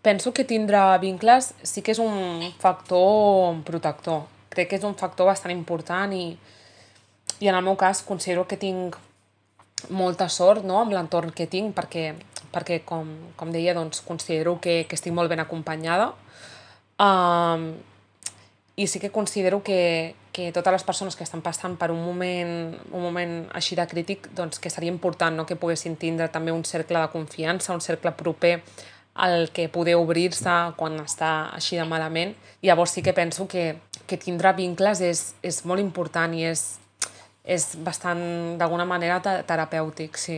penso que tindre vincles sí que és un factor protector. Crec que és un factor bastant important i en el meu cas considero que tinc molta sort, no?, amb l'entorn que tinc perquè com deia, doncs, considero que estic molt ben acompanyada. I sí que considero que totes les persones que estan passant per un moment així de crític, doncs que seria important, no?, que poguessin tindre també un cercle de confiança, un cercle proper al que poder obrir-se quan està així de malament. I llavors sí que penso que tindre vincles és molt important i és bastant, d'alguna manera, terapèutic, sí.